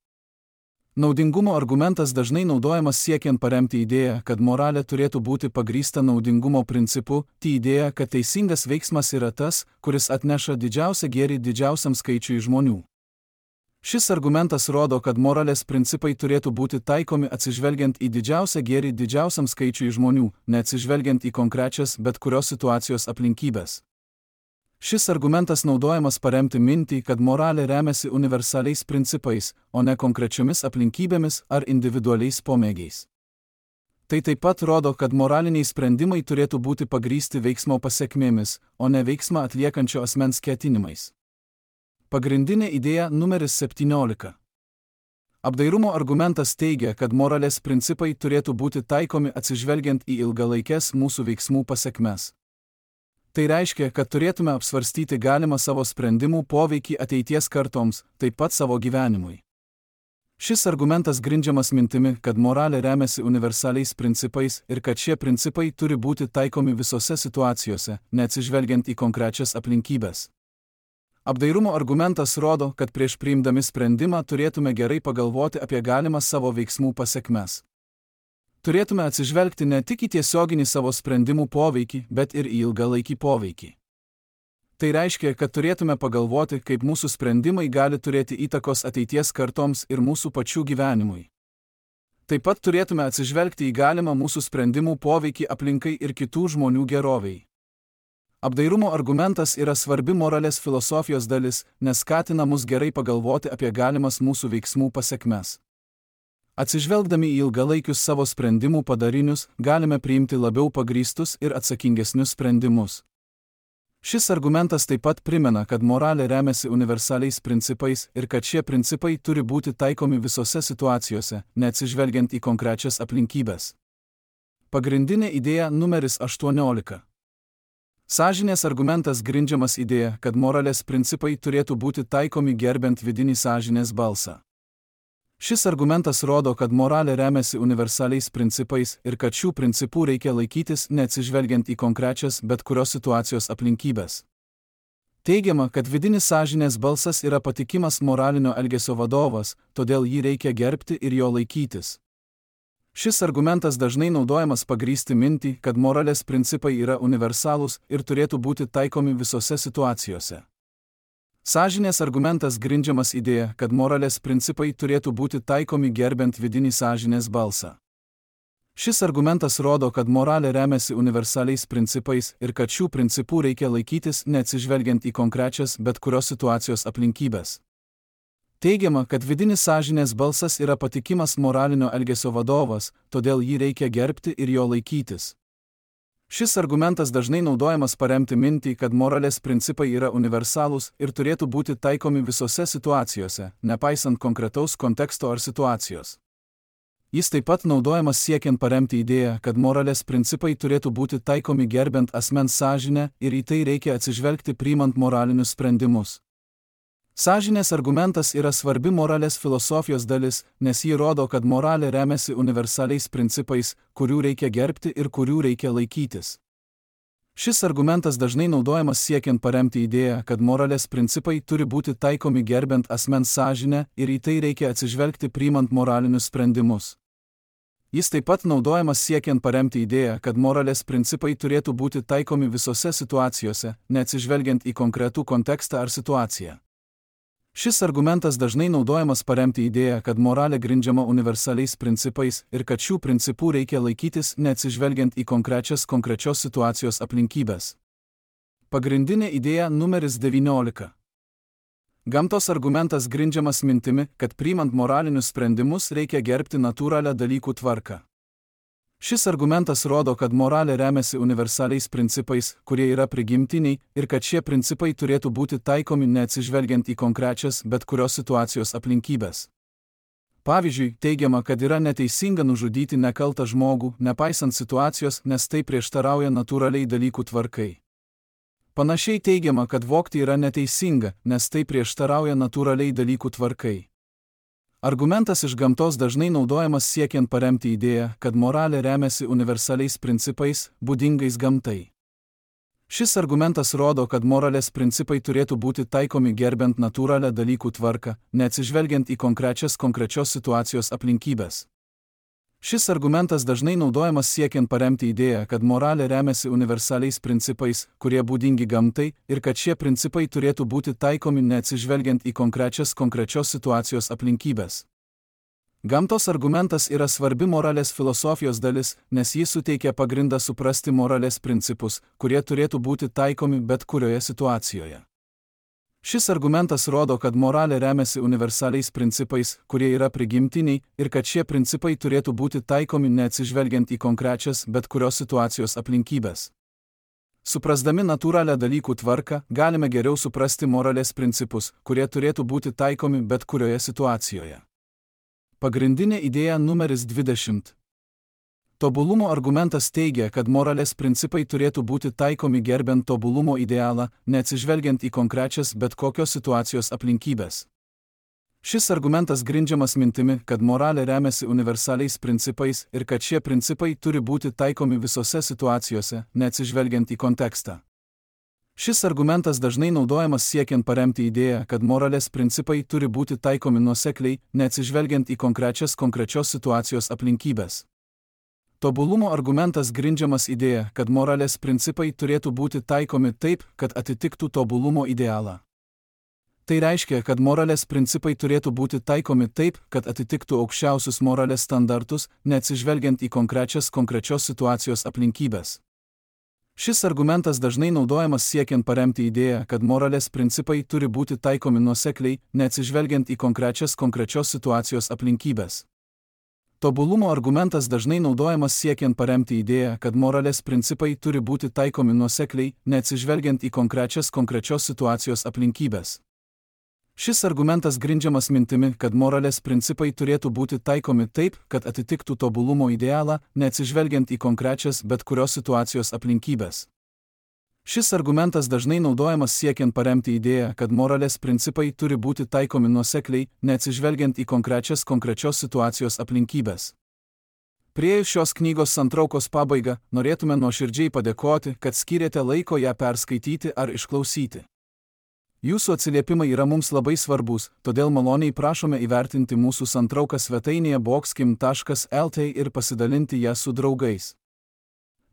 Naudingumo argumentas dažnai naudojamas siekiant paremti idėją, kad moralė turėtų būti pagrįsta naudingumo principu, tai idėja, kad teisingas veiksmas yra tas, kuris atneša didžiausią gėrį didžiausiam skaičiui žmonių. Šis argumentas rodo, kad moralės principai turėtų būti taikomi atsižvelgiant į didžiausią gėrį didžiausiam skaičiui žmonių, neatsižvelgiant į konkrečias bet kurios situacijos aplinkybės. Šis argumentas naudojamas paremti mintį, kad moralė remiasi universaliais principais, o ne konkrečiomis aplinkybėmis ar individualiais pomėgiais. Tai taip pat rodo, kad moraliniai sprendimai turėtų būti pagrįsti veiksmo pasekmėmis, o ne veiksmą atliekančio asmens ketinimais. Pagrindinė idėja numeris 17. Apdairumo argumentas teigia, kad moralės principai turėtų būti taikomi atsižvelgiant į ilgalaikes mūsų veiksmų pasekmes. Tai reiškia, kad turėtume apsvarstyti galimą savo sprendimų poveikį ateities kartoms, taip pat savo gyvenimui. Šis argumentas grindžiamas mintimi, kad moralė remiasi universaliais principais ir kad šie principai turi būti taikomi visose situacijose, neatsižvelgiant į konkrečias aplinkybės. Apdairumo argumentas rodo, kad prieš priimdami sprendimą turėtume gerai pagalvoti apie galimą savo veiksmų pasekmes. Turėtume atsižvelgti ne tik į tiesioginį savo sprendimų poveikį, bet ir į ilgalaikį poveikį. Tai reiškia, kad turėtume pagalvoti, kaip mūsų sprendimai gali turėti įtakos ateities kartoms ir mūsų pačių gyvenimui. Taip pat turėtume atsižvelgti į galimą mūsų sprendimų poveikį aplinkai ir kitų žmonių geroviai. Apdairumo argumentas yra svarbi moralės filosofijos dalis, nes skatina mus gerai pagalvoti apie galimas mūsų veiksmų pasekmes. Atsižvelgdami į ilgalaikius savo sprendimų padarinius, galime priimti labiau pagrįstus ir atsakingesnius sprendimus. Šis argumentas taip pat primena, kad moralė remiasi universaliais principais ir kad šie principai turi būti taikomi visose situacijose, neatsižvelgiant į konkrečias aplinkybės. Pagrindinė idėja numeris 18. Sąžinės argumentas grindžiamas idėja, kad moralės principai turėtų būti taikomi gerbent vidinį sąžinės balsą. Šis argumentas rodo, kad moralė remiasi universaliais principais ir kad šių principų reikia laikytis neatsižvelgiant į konkrečias bet kurios situacijos aplinkybės. Teigiama, kad vidinis sąžinės balsas yra patikimas moralinio elgesio vadovas, todėl jį reikia gerbti ir jo laikytis. Šis argumentas dažnai naudojamas pagrįsti mintį, kad moralės principai yra universalūs ir turėtų būti taikomi visose situacijose. Sąžinės argumentas grindžiamas idėja, kad moralės principai turėtų būti taikomi gerbent vidinį sąžinės balsą. Šis argumentas rodo, kad moralė remiasi universaliais principais ir kad šių principų reikia laikytis neatsižvelgiant į konkrečias bet kurios situacijos aplinkybės. Teigiama, kad vidinis sąžinės balsas yra patikimas moralinio elgesio vadovas, todėl jį reikia gerbti ir jo laikytis. Šis argumentas dažnai naudojamas paremti mintį, kad moralės principai yra universalūs ir turėtų būti taikomi visose situacijose, nepaisant konkretaus konteksto ar situacijos. Jis taip pat naudojamas siekiant paremti idėją, kad moralės principai turėtų būti taikomi gerbent asmens sąžinę ir į tai reikia atsižvelgti priimant moralinius sprendimus. Sąžinės argumentas yra svarbi moralės filosofijos dalis, nes ji rodo, kad moralė remiasi universaliais principais, kurių reikia gerbti ir kurių reikia laikytis. Šis argumentas dažnai naudojamas siekiant paremti idėją, kad moralės principai turi būti taikomi gerbent asmens sąžinę ir į tai reikia atsižvelgti priimant moralinius sprendimus. Jis taip pat naudojamas siekiant paremti idėją, kad moralės principai turėtų būti taikomi visose situacijose, neatsižvelgiant į konkretų kontekstą ar situaciją. Šis argumentas dažnai naudojamas paremti idėją, kad moralė grindžiama universaliais principais ir kad šių principų reikia laikytis neatsižvelgiant į konkrečios situacijos aplinkybės. Pagrindinė idėja numeris 19. Gamtos argumentas grindžiamas mintimi, kad priimant moralinius sprendimus reikia gerbti natūralią dalykų tvarką. Šis argumentas rodo, kad moralė remiasi universaliais principais, kurie yra prigimtiniai, ir kad šie principai turėtų būti taikomi neatsižvelgiant į konkrečias bet kurios situacijos aplinkybės. Pavyzdžiui, teigiama, kad yra neteisinga nužudyti nekaltą žmogų, nepaisant situacijos, nes tai prieštarauja natūraliai dalykų tvarkai. Panašiai teigiama, kad vogti yra neteisinga, nes tai prieštarauja natūraliai dalykų tvarkai. Argumentas iš gamtos dažnai naudojamas siekiant paremti idėją, kad moralė remiasi universaliais principais, būdingais gamtai. Šis argumentas rodo, kad moralės principai turėtų būti taikomi gerbent natūralią dalykų tvarką, neatsižvelgiant į konkrečios situacijos aplinkybės. Šis argumentas dažnai naudojamas siekiant paremti idėją, kad moralė remiasi universaliais principais, kurie būdingi gamtai, ir kad šie principai turėtų būti taikomi neatsižvelgiant į konkrečios situacijos aplinkybės. Gamtos argumentas yra svarbi moralės filosofijos dalis, nes jis suteikia pagrindą suprasti moralės principus, kurie turėtų būti taikomi bet kurioje situacijoje. Šis argumentas rodo, kad moralė remiasi universaliais principais, kurie yra prigimtiniai, ir kad šie principai turėtų būti taikomi neatsižvelgiant į konkrečias bet kurios situacijos aplinkybės. Suprasdami natūralią dalykų tvarką, galime geriau suprasti moralės principus, kurie turėtų būti taikomi bet kurioje situacijoje. Pagrindinė idėja numeris 20. Tobulumo argumentas teigia, kad moralės principai turėtų būti taikomi gerbent tobulumo idealą, neatsižvelgiant į konkrečias bet kokios situacijos aplinkybės. Šis argumentas grindžiamas mintimi, kad moralė remiasi universaliais principais ir kad šie principai turi būti taikomi visose situacijose, neatsižvelgiant į kontekstą. Šis argumentas dažnai naudojamas siekiant paremti idėją, kad moralės principai turi būti taikomi nuosekliai, neatsižvelgiant į konkrečios situacijos aplinkybės. Tobulumo argumentas grindžiamas idėja, kad moralės principai turėtų būti taikomi taip, kad atitiktų tobulumo idealą. Tai reiškia, kad moralės principai turėtų būti taikomi taip, kad atitiktų aukščiausius moralės standartus, neatsižvelgiant į konkrečios situacijos aplinkybės. Šis argumentas dažnai naudojamas siekiant paremti idėją, kad moralės principai turi būti taikomi nuosekliai, neatsižvelgiant į konkrečios situacijos aplinkybės. Tobulumo argumentas dažnai naudojamas siekiant paremti idėją, kad moralės principai turi būti taikomi nuosekliai, neatsižvelgiant į konkrečios situacijos aplinkybės. Šis argumentas grindžiamas mintimi, kad moralės principai turėtų būti taikomi taip, kad atitiktų tobulumo idealą, neatsižvelgiant į konkrečias bet kurios situacijos aplinkybės. Šis argumentas dažnai naudojamas siekiant paremti idėją, kad moralės principai turi būti taikomi nuosekliai, neatsižvelgiant į konkrečios situacijos aplinkybės. Priėjus šios knygos santraukos pabaigą, norėtume nuoširdžiai padėkoti, kad skyrėte laiko ją perskaityti ar išklausyti. Jūsų atsiliepimai yra mums labai svarbus, todėl maloniai prašome įvertinti mūsų santrauką svetainėje boxkim.lt ir pasidalinti ją su draugais.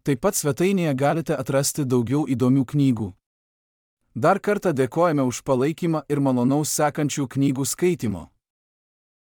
Taip pat svetainėje galite atrasti daugiau įdomių knygų. Dar kartą dėkojame už palaikymą ir malonaus sekančių knygų skaitimo.